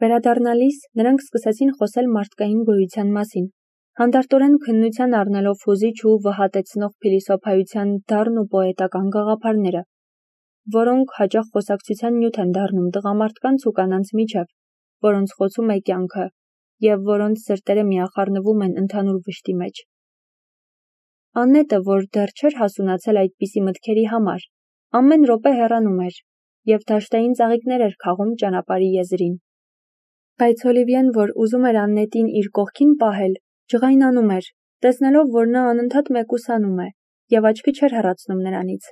Վերադառնալիս նրանք սկսեցին խոսել մարդկային գոյության մասին, հանդարտորեն քննության առնելով հուզիչ ու վհատեցնող փիլիսոփայության դառն ու պոետական գաղափարները, որոնք հաճախ խոսակցության նյութ են դառնում տղամարդկանց ու կանանց միջև, որոնց խոցում է կյանքը և որոնց սրտերը միախառնվում են ընդհանուր վշտի մեջ։ Աննետը, որ դեռ չէր հասունացել այդպիսի մտքերի համար, ամեն րոպե հեռանում էր և դաշտային ծաղիկներ էր քաղում ճանապարհի եզրին։ Բայց Օլիվիեն, որ ուզում էր Աննետին իր կողքին պահել, ջղայնանում էր, տեսնելով, որ նա անընդհատ մեկուսանում է և աչքը չէր հեռացնում նրանից։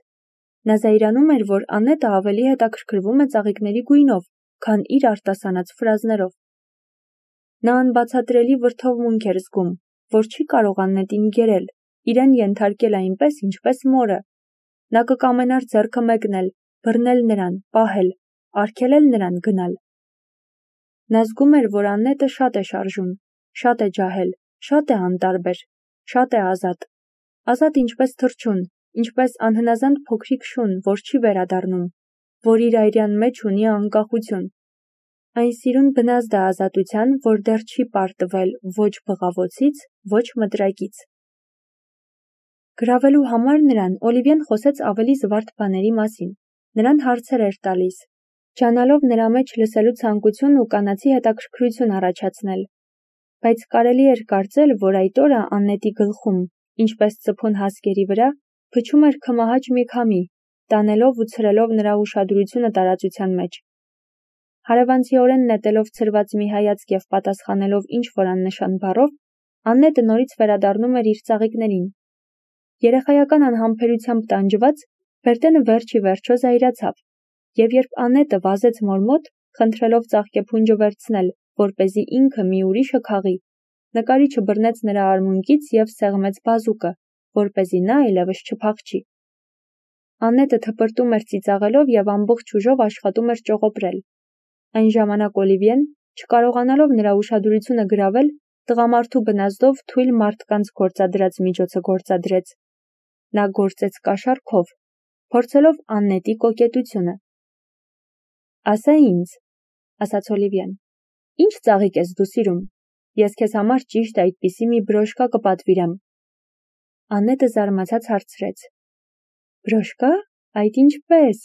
Նա զայրանում էր, որ Աննետը ավելի հետաքրքրվում է ծաղիկների գույնով, քան իր արտասանած ֆրազներով։ Նա անբացատրելի վրդովմունք էր զգում, որ չի կարող Աննետին գերել, իրեն ենթարկել այնպես, ինչպես մորը։ Նա կկամենար ձեռքը մեկնել, բռնել նրան, պահել, արգելել նրան գնալ։ Նա զգում էր, որ Աննետը շատ է շարժուն, շատ է ջահել, շատ է անտարբեր, շատ է ազատ։ Ազատ ինչպես թռչուն, ինչպես անհնազանդ փոքրիկ շուն, որ չի վերադառնում, որ իր այրյան մեջ ունի անկախություն։ Այն սիրուն բնազդ է ազատության, որ դեռ չի պարտվել ոչ բղավոցից, ոչ մտրակից։ Գրավելու համար նրան Օլիվիեն խոսեց ավելի զվարթ բաների մասին, նրան հարցեր էր տալիս, ջանալով նրա մեջ լսելու ցանկություն ու կանացի հետաքրքրություն առաջացնել։ Բայց կարելի էր կարծել, որ այդ օրը Աննետի գլխում, ինչպես ծփուն հասկերի վրա, փչում էր քմահաճ մի քամի, տանելով ու ցրելով նրա ուշադրությունը տարածության մեջ։ Հարևանցիորեն նետելով ցրված մի հայացք և պատասխանելով ինչ-որ աննշան բառով, Աննետը նորից վերադառնում էր իր ծաղիկներին։ Երեխայական անհամբերությամբ տանջված, Բերտենը վերջ ի վերջո զայրացավ, և երբ Աննետը վազեց մոր մոտ, խնդրելով ծաղկեփունջը վերցնել, որպեսզի ինքը մի ուրիշը քաղի, նկարիչը բռնեց նրա արմունկից և սեղմեց բազուկը, որպեսզի նա այլևս չփախչի։ Աննետը թպրտում էր ծիծաղելով և ամբողջ ուժով աշխատում էր ճողոպրել։ Այն ժամանակ Օլիվիեն, չկարողանալով նրա ուշադրությունը գրավել, տղամարդու բնազդով թույլ մարդկանց գործադրած միջոցը գործադրեց։ Նա գործեց կաշառքով, փորձելով Աննետի կոկետությունը։ «Ասա ինձ», ասաց Օլիվիեն, «ինչ ծաղիկ ես դու սիրում։ Ես քեզ համար ճիշտ այդպիսի մի բրոշկա կպատվիրեմ»։ Աննետը զարմացած հարցրեց. «Բրոշկա, այդ ինչպե՞ս»։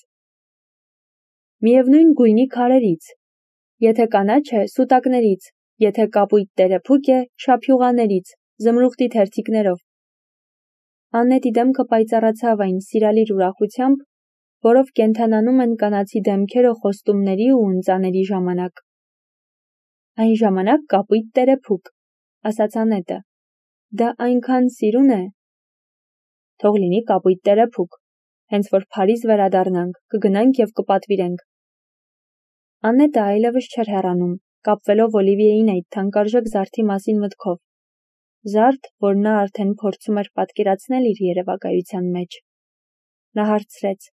«Միևնույն գույնի քարերից։ Եթե կանաչ է, սուտակներից, եթե կապույտ տերեփուկ է, շափյուղաներից, զմրուխտի թերթիկներով»։ Աննետի դեմքը պայծառացավ այն սիրալիր ուրախությամբ, որով կենդանանում են կանացի դեմքերը խոստումների ու ընծաների ժամանակ։ «Այն ժամանակ կապույտ տերեփուկ», ասաց Աննետը։ «Դա այնքան սիրուն է»։ «Թող լինի կապույտ տերեփուկ, հենց որ Փարիզ վերադառնանք, կգնանք և կպատվիրենք»։ Աննետը այլևս չէր հեռանում, կապվելով Օլիվիեին այդ թանկարժեք զարդի մասին մտքով։ Զարդ, որ նա արդեն փորձում էր պատկերացնել իր երևակայության մեջ։ Նա հարցրեց.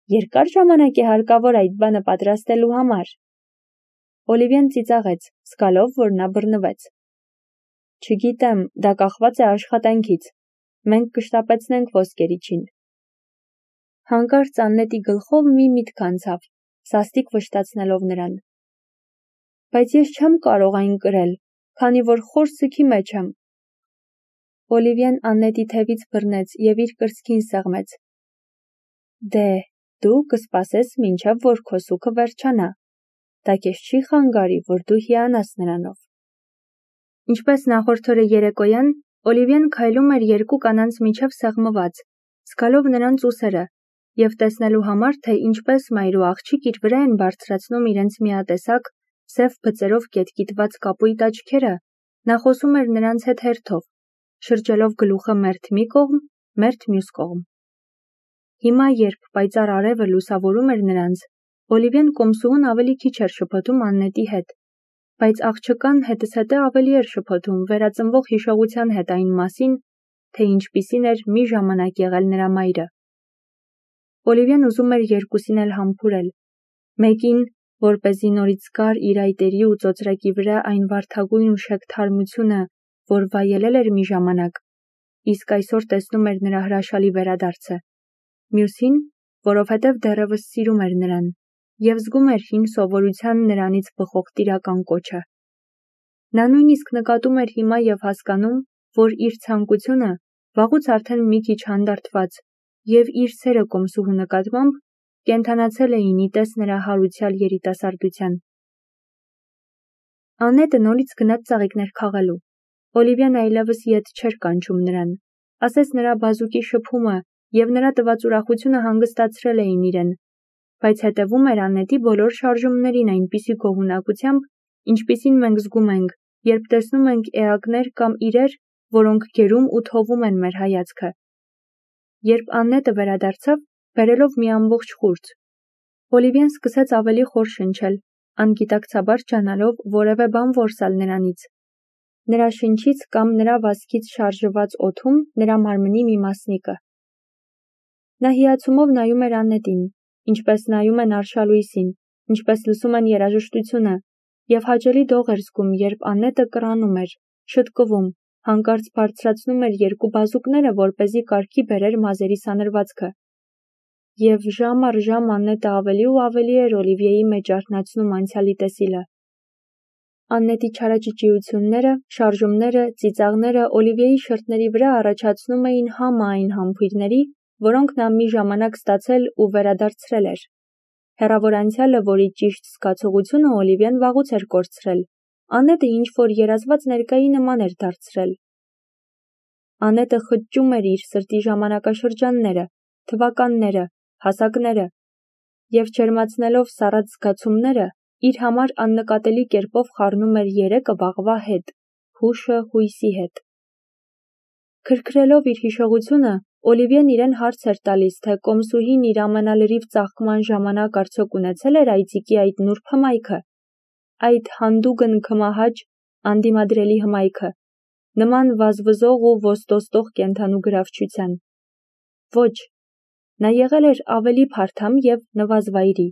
«Երկար ժամանակ է հարկավոր այդ բանը պատրաստելու համար»։ Օլիվիեն ծիծաղեց, զգալով, որ նա բռնվեց։ «Չգիտեմ, դա կախված է աշխատանքից։ Մենք կշտապեցնենք ոսկերիչին»։ Հանկարծ Աննետի գլխով մի միտք անցավ, սաստիկ վշտացնելով նրան։ «Բայց ես չեմ կարող այն կրել, քանի որ խոր սգի մեջ եմ»։ Օլիվիեն Աննետի թևից բռնեց և իր կրծքին սեղմեց։ «Դե, դու կսպասես մինչև որ քո սուգը վերջանա։ Դա քեզ չի խանգարի, որ դու հիանաս նրանով»։ Ինչպես նախորդ օրը երեկոյան, Օլիվիեն քայլում էր երկու կանանց միջև սեղմված, զգալով նրանց ուսերը, և տեսնելու համար, թե ինչպես մայր ու աղջիկ իր վրա են բարձրացնում իրենց միատեսակ, սև բծերով կետկիտված կապույտ աչքերը, նա խոսում էր նրանց հետ հերթով, շրջելով գլուխը մերթ մի կողմ, մերթ մյուս կողմ։ Հիմա, երբ պայծառ արևը լուսավորում էր նրանց, Օլիվիեն կոմսուհուն ավելի քիչ էր շփոթում Աննետի հետ, բայց աղջկան հետզհետե ավելի էր շփոթում վերածնվող հիշողության հետ այն մասին, թե ինչպիսին էր մի ժամանակ եղել նրա մայրը։ Օլիվիեն ուզում էր երկուսին էլ համբուրել, մեկին, որպեսզի նորից զգար իր այտերի ու ծոծրակի վրա այն վարդագույն ու շեկ թարմությունը, որ վայելել էր մի ժամանակ, իսկ այսօր տեսնում էր նրա հրաշալի վերադարձը, մյուսին, որովհետև դեռևս սիրում էր նրան, և զգում էր հին սովորության նրանից բխող տիրական կոչը։ Նա նույնիսկ նկատում էր հիմա և հասկանում, որ իր ցանկությունը, վաղուց արդեն մի քիչ հանդարտված, և իր սերը կոմսուհու նկատմամբ կենդանացել էին ի տես նրա հարուցյալ երիտասարդության։ Աննետը նորից գնաց ծաղիկներ քաղելու։ Օլիվիան այլևս ետ չէր կանչում նրան, ասես նրա բազուկի շփումը և նրա տված ուրախությունը հանգստացրել էին իրեն, բայց հետևում էր Աննետի բոլոր շարժումներին այնպիսի գոհունակությամբ, ինչպիսին մենք զգում ենք, երբ տեսնում ենք էակներ կամ իրեր, որոնք գերում ու թովում են մեր հայացքը։ Երբ Աննետը վերադարձավ, բերելով մի ամբողջ խուրձ, Օլիվիան սկսեց ավելի խոր շնչել, անգիտակցաբար ջանալով որևէ բան որսալ նրանից։ Նրա շնչից կամ նրա վազքից շարժված օդում նրա մարմնի մի մասնիկը։ Նա հիացումով նայում էր Աննետին, ինչպես նայում են արշալույսին, ինչպես լսում են երաժշտությունը, և հաճելի դող էր զգում, երբ Աննետը կռանում էր, շտկվում, հանկարծ բարձրացնում էր երկու բազուկները, որպեսզի կարգի բերեր մազերի սանրվածքը։ Եվ ժամ առ ժամ Աննետը ավելի ու ավելի էր Օլիվիեի մեջ արթնացնում անցյալի տեսիլը։ Աննետի չարաճճիությունները, շարժումները, ծիծաղները Օլիվիեի շրթների վրա առաջացնում էին համը այն համբույրների, որոնք նա մի ժամանակ ստացել ու վերադարձրել էր։ Հեռավոր անցյալը, որի ճիշտ զգացողությունը Օլիվիան վաղուց էր կորցրել, Աննետը ինչ-որ երազված ներկայի նման էր դարձրել։ Աննետը խճճում էր իր սրտի ժամանակաշրջանները, թվականները, հասակները, և ջերմացնելով սառած զգացումները, իր համար աննկատելի կերպով խառնում էր երեկը վաղվա հետ, հուշը հույսի հետ։ Քրքրելով իր հիշողությունը, Օլիվիան իրեն հարց էր տալիս, թե կոմսուհին իր ամենալրիվ ծաղկման ժամանակ արդյոք ունեցել էր այծիկի այդ նուրբ հմայքը, այդ հանդուգն քմահաճ, անդիմադրելի հմայքը, նման վազվզող ու ոստոստող կենդանու գրավչության։ Ոչ, նա եղել էր ավելի փարթամ և նվազվայրի։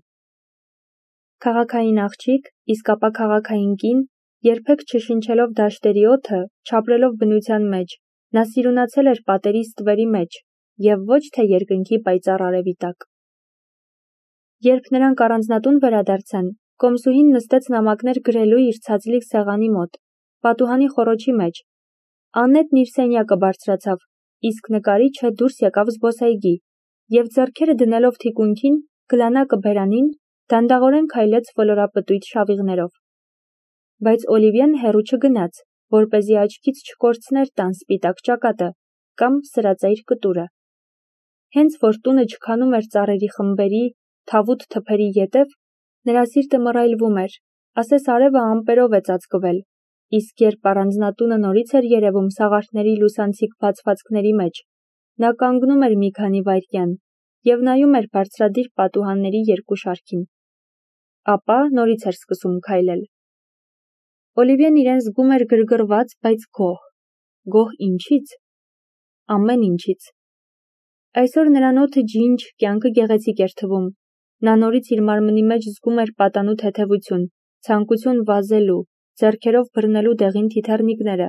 Քաղաքային աղջիկ, իսկ ապա քաղաքային կին, երբեք չշնչելով դաշտերի օդը, չապրելով բնության մեջ, նա սիրունացել էր պատերի ստվերի մեջ և ոչ թե երկնքի պայծառ արևի տակ։ Երբ նրանք առանձնատուն վերադարձան, կոմսուհին նստեց նամակներ գրելու իր ցածլիկ սեղանի մոտ, պատուհանի խոռոչի մեջ։ Աննետն իր սենյակը բարձրացավ, իսկ նկարիչը դուրս եկավ զբոսայգի, և ձեռքերը դնելով թիկունքին, գլանակը բերանին, դանդաղորեն քայլեց ֆլորապտույտ շավիղներով։ Բայց Օլիվիան հեռու չգնաց, որպեսզի աչքից չկորցներ տան սպիտակ ճակատը կամ սրածայր կտուրը։ Հենց որ տունը չքանում էր ծառերի խմբերի, թավուտ թփերի ետև, նրա սիրտը մռայլվում էր, ասես արևը ամպերով է ծածկվել, իսկ երբ առանձնատունը նորից էր երևում սաղարթների լուսանցիկ բացվածքների մեջ, նա կանգնում էր մի քանի վայրկյան և նայում էր բարձրադիր պատուհանների երկու շարքին։ Ապա նորից էր սկսում քայլել։ Օլիվիան իրեն զգում էր գրգռված, բայց գոհ։ Գոհ ինչի՞ց։ Ամեն ինչից։ Այսօր նրան օդը ջինջ, կյանքը գեղեցիկ էր թվում։ Նա նորից իր մարմնի մեջ զգում էր պատանու թեթևություն, ցանկություն վազելու, ձեռքերով բռնելու դեղին թիթեռնիկները,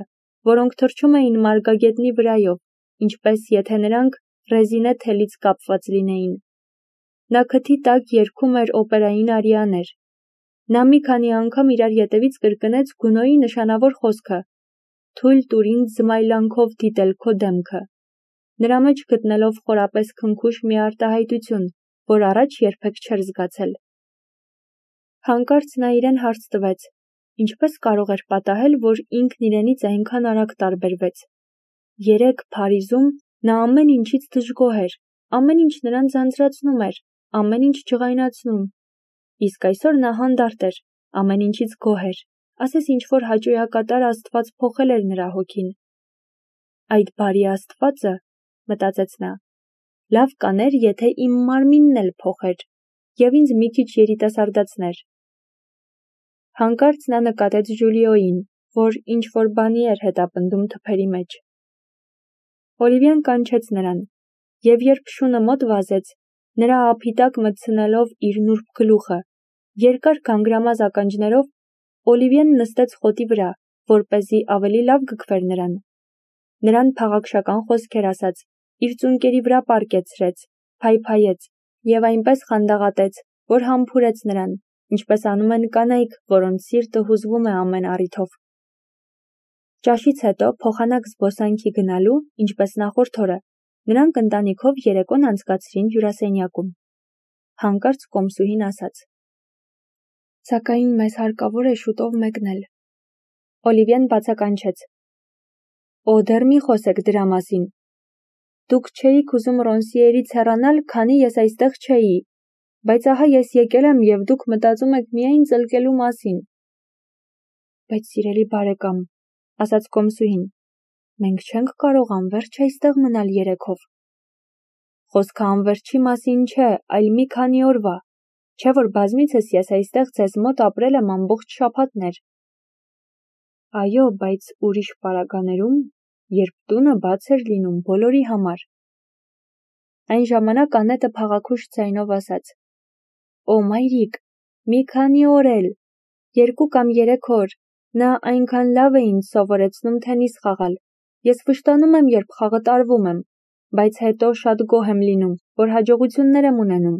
որոնք թռչում էին մարգագետնի վրայով, ինչպես եթե նրանք ռեզինե թելից կապված լինեին։ Նա քթի տակ երգում էր օպերային արիաներ։ Նա մի քանի անգամ իրար ետևից կրկնեց Գունոյի նշանավոր խոսքը. «Թույլ տուր ինձ զմայլանքով դիտել քո դեմքը», նրա մեջ գտնելով խորապես քնքուշ մի արտահայտություն, որ առաջ երբեք չէր զգացել։ Հանկարծ նա իրեն հարց տվեց. ինչպես կարող էր պատահել, որ ինքն իրենից այնքան արագ տարբերվեց։ Երեկ Փարիզում նա ամեն ինչից դժգոհ էր, ամեն ինչ նրան ձանձրացնում էր, ամեն ինչ ջղայնացնում։ Իսկ այսօր նա հանդարտ էր, ամեն ինչից գոհ էր, ասես ինչ-որ հաճոյակատար աստված փոխել էր նրա հոգին։ Այդ բարի աստվածը, մտածեց նա, լավ կաներ, եթե իմ մարմինն էլ փոխեր և ինձ մի քիչ երիտասարդացներ։ Հանկարծ նա նկատեց Ժուլիոյին, որ ինչ-որ բանի էր հետապնդում թփերի մեջ։ Օլիվիան կանչեց նրան, և երբ շունը մոտ վազեց, նրա ափի տակ մտցնելով իր նուրբ գլուխը, երկար գանգրամազ ականջներով, Օլիվիան նստեց խոտի վրա, որպեսզի ավելի լավ գգվեր նրան։ Նրան փաղաքշական խոսքեր ասաց, իր ծունկերի վրա պառկեցրեց, փայփայեց և այնպես խանդաղատեց, որ համբուրեց նրան, ինչպես անում են կանայք, որոնց սիրտը հուզվում է ամեն առիթով։ Ճաշից հետո փոխանակ զբոսանքի գնալու, ինչպես նախորդ օրը, նրանք ընտանիքով երեկոն անցկացրին հյուրասենյակում։ Հանկարծ կոմսուհին ասաց. «Սակայն մեզ հարկավոր է շուտով մեկնել»։ Օլիվիան բացականչեց. «Օ, դեռ մի խոսեք դրա մասին։ Դուք չէիք ուզում Ռոնսիերից հեռանալ, քանի ես այստեղ չէի, բայց ահա ես եկել եմ և դուք մտածում եք միայն ծլկելու մասին»։ «Բայց սիրելի բարեկամ», ասաց կոմսուհին, «մենք չենք կարող անվերջ այստեղ մնալ երեքով»։ «Խոսքը անվերջի մասին չէ, այլ մի քանի օրվա, չէ՞ որ բազմիցս ես այստեղ ձեզ մոտ ապրել եմ ամբողջ շաբաթներ»։ «Այո, բայց ուրիշ պարագաներում, երբ տունը բաց էր լինում բոլորի համար»։ Այն ժամանակ Անետը փաղաքուշ ձայնով ասաց. «Օ, մայրիկ, մի քանի օր էլ, 2 կամ 3 օր, նա այնքան լավ է ինձ սովորեցնում թենիս խաղալ, ես վշտանում եմ, երբ խաղը տարվում եմ, բայց հետո շատ գոհ եմ լինում, որ հաջողություններ եմ ունենում»։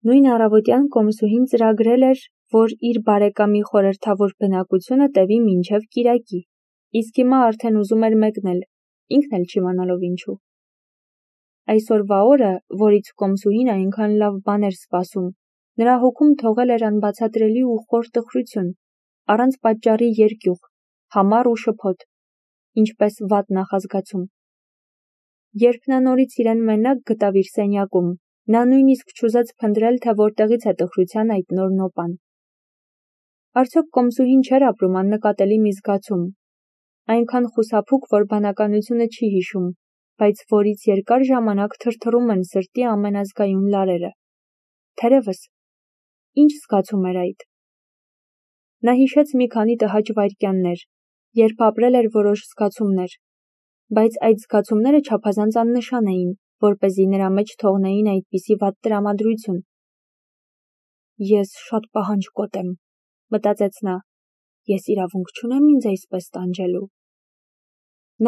Նույն առավոտյան կոմսուհին ծրագրել էր, որ իր բարեկամի խորհրդավոր բնակությունը տևի մինչև կիրակի, իսկ հիմա արդեն ուզում էր մեկնել, ինքն էլ չիմանալով ինչու։ Այսօրվա օրը, որից կոմսուհին այնքան լավ բան էր սպասում, նրա հոգում թողել էր անբացատրելի ու խոր տխրություն, առանց պատճառի երկյուղ, համառ ու շփոթ, ինչպես վատ նախազգացում։ Երբ նա նորից իրեն մենակ գտավ իր սենյակում, նա նույնիսկ չուզեց փնտրել, թե որտեղից է տխրության այդ նոր նոպան։ Արդյոք կոմսուհին չէր ապրում աննկատելի մի զգացում, այնքան խուսափուկ, որ բանականությունը չի հիշում, բայց որից երկար ժամանակ թրթռում են սրտի ամենազգայուն լարերը։ Թերևս, ինչ զգացում էր այդ։ Նա հիշեց մի քանի տհաճ վայրկյաններ, երբ ապրել էր որոշ զգացումներ, բայց այդ զգացումները չափազանց աննշան էին, որպեսզի նրա մեջ թողնեին այդպիսի վատ տրամադրություն։ «Ես շատ պահանջկոտ եմ», մտածեց նա, «ես իրավունք չունեմ ինձ այսպես տանջելու»։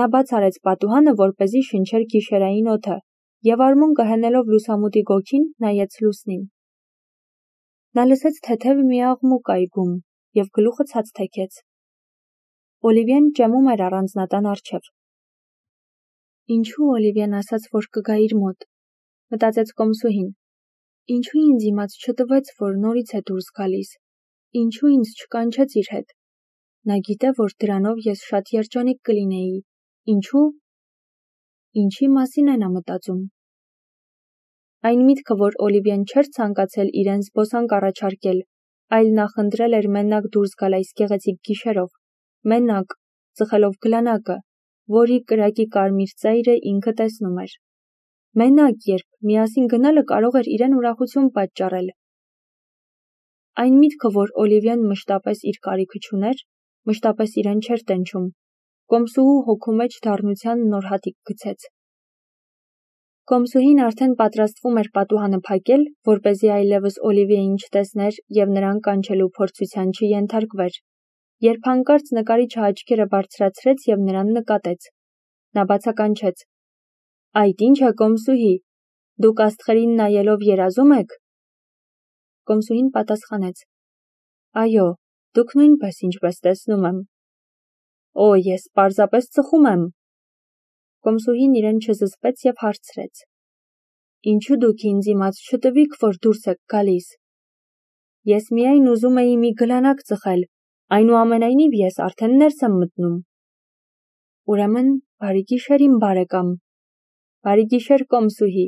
Նա բաց արեց պատուհանը, որպեսզի շնչեր գիշերային օդը, և արմունկը հենելով լուսամուտի գոգին, նայեց լուսնին։ Նա լսեց թեթև մի աղմուկ այգում և գլուխը ցած թեքեց։ Օլիվիան ճեմում էր առանձնատան առջև։ «Ինչու Օլիվիան ասաց, որ կգա իր մոտ», մտածեց կոմսուհին։ «Ինչու ինձ իմաց չտվեց, որ նորից է դուրս գալիս, ինչու ինձ չկանչեց իր հետ։ Նա գիտե, որ դրանով ես շատ երջանիկ կլինեի, ինչու։ Ինչի մասին է նա մտածում»։ Այն միտքը, որ Օլիվիան չէր ցանկացել իրեն զբոսանք առաջարկել, այլ նախընտրել էր մենակ դուրս գալ այս գեղեցիկ գիշերով, մենակ, ծխելով գլանակը, որի կրակի կարմիր ծայրը ինքը տեսնում էր։ Մենակ, երբ միասին գնալը կարող էր իրեն ուրախություն պատճառել։ Այն միտքը, որ Օլիվիան մշտապես իր կարիքը չուներ, մշտապես իրեն չէր տենչում, կոմսուհու հոգու մեջ դառնության նոր հատիկ գցեց։ Կոմսուհին արդեն պատրաստվում էր պատուհանը փակել, որպեսզի այլևս Օլիվիային չտեսներ և նրան կանչելու փորձության չենթարկվեր, երբ հանկարծ նկարիչը աչքերը բարձրացրեց և նրան նկատեց։ Նա բացականչեց. «Այդ ի՞նչ է, կոմսուհի, դուք աստղերին նայելով երազում եք»։ Կոմսուհին պատասխանեց. «Այո, դուք նույնպես, ինչպես տեսնում եմ»։ «Օ, ես պարզապես ծխում եմ»։ Կոմսուհին իրեն չզսպեց և հարցրեց. «Ինչու դուք ինձ իմաց չտվիք, որ դուրս եք գալիս»։ «Ես միայն ուզում էի մի գլանակ ծխել, այնուամենայնիվ ես արդեն ներս եմ մտնում»։ «Ուրեմն, բարի գիշեր, իմ բարեկամ»։ «Բարի գիշեր, կոմսուհի»։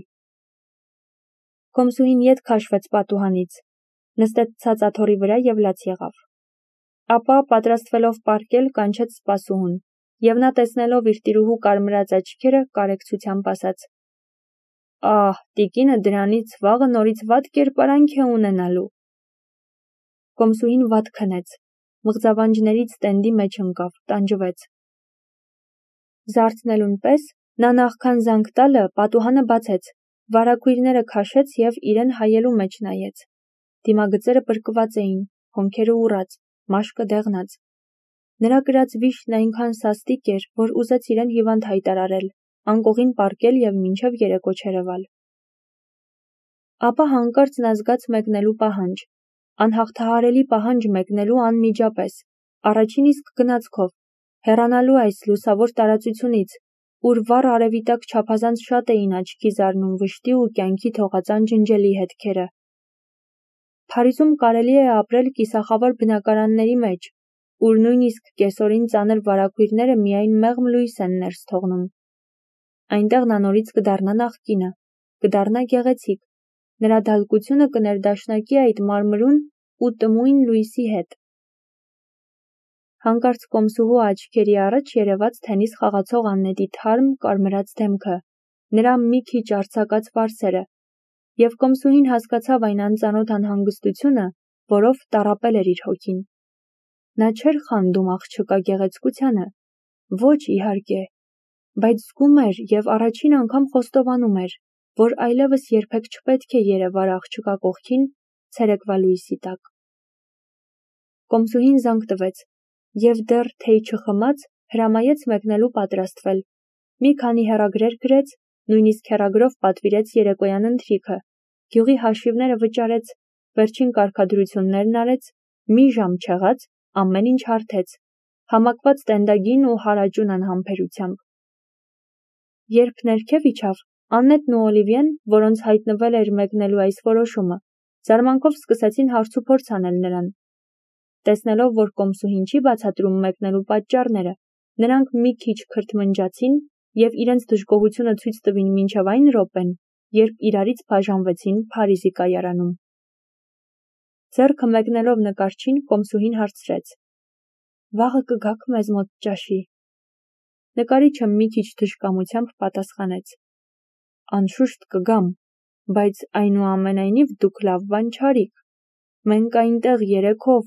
Կոմսուհին ետ քաշվեց պատուհանից, նստեց ցած աթոռի վրա և լաց եղավ։ Ապա, պատրաստվելով պառկել, կանչեց սպասուհուն, և նա տեսնելով իր տիրուհու կարմրած աչքերը, կարեկցությամբ ասաց. «Ահ, տիկինը դրանից վաղը նորից վատ կերպարանք է ունենալու»։ Կոմսուհին վատ քնեց, մղձավանջներից տենդի մեջ ընկավ, տանջվեց։ Զարթնելուն պես նա նախքան զանգ տալը պատուհանը բացեց, վարագույրները քաշեց և իրեն հայելու մեջ նայեց։ Դիմագծերը պրկված էին, հոնքերը ուռած, մաշկը դեղնած։ Նրա կրած վիշտն այնքան սաստիկ էր, որ ուզեց իրեն հիվանդ հայտարարել, անկողին պառկել և մինչև երեկո չերևալ։ Ապա հանկարծ նա զգաց մեկնելու պահանջ, անհաղթահարելի պահանջ մեկնելու անմիջապես, առաջին իսկ գնացքով, հեռանալու այս լուսավոր տարածությունից, ուր վառ արևի տակ չափազանց շատ էին աչքի զարնում վշտի ու կյանքի թողածան ջնջելի հետքերը։ Փարիզում կարելի է ապրել կիսախավար բնակարանների մեջ, ուր նույնիսկ կեսօրին ծանր վարագույրները միայն մեղմ լույս են ներս թողնում։ Այնտեղ նա նորից կդառնա նախկինը, կդառնա գեղեցիկ, նրա դալկությունը կներդաշնակի այդ մարմրուն ու տմույն լույսի հետ։ Հանկարծ կոմսուհու աչքերի առաջ երևաց թենիս խաղացող Աննետի թարմ, կարմրած դեմքը, նրա մի քիչ արձակած վարսերը, և կոմսուհին հասկացավ այն անծանոթ անհանգստությունը, որով տառապել էր իր հոգին։ Նա չէր խանդում աղջկա գեղեցկությանը, ոչ իհարկե, բայց զգում էր և առաջին անգամ խոստովանում էր, որ այլևս երբեք չպետք է երևար աղջկա կողքին ցերեկվա լույսի տակ։ Կոմսուհին զանգ տվեց և դեռ թեյ չխմած հրամայեց մեկնելու պատրաստվել։ Մի քանի հեռագրեր գրեց, նույնիսկ հեռագրով պատվիրեց երեկոյան ընթրիքը, գյուղի հաշիվները վճարեց, վերջին կարգադրություններն արեց, մի ժամ չեղած, ամեն ինչ հարթեց, համակված տենդագին ու հարաճուն անհամբերությամբ։ Երբ ներքև իջավ, Աննետն ու Օլիվիեն, որոնց հայտնվել էր մեկնելու այս որոշումը, զարմանքով սկսեցին հարցուփորձ անել նրան։ Տեսնելով, որ կոմսուհին չի բացատրում մեկնելու պատճառները, նրանք մի քիչ քրթմնջացին և իրենց դժգոհությունը ցույց տվին մինչև այն րոպեն, երբ իրարից բաժանվեցին Փարիզի կայարանում։ Ձեռքը մեկնելով նկարչին, կոմսուհին հարցրեց. «Վաղը կգաք մեզ մոտ ճաշի»։ Նկարիչը մի քիչ թշկամությամբ պատասխանեց. «Անշուշտ կգամ, բայց այնուամենայնիվ դուք լավ բան չարիք։ Մենք այնտեղ երեքով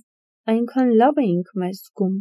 այնքան լավ էինք մեզ զգում»։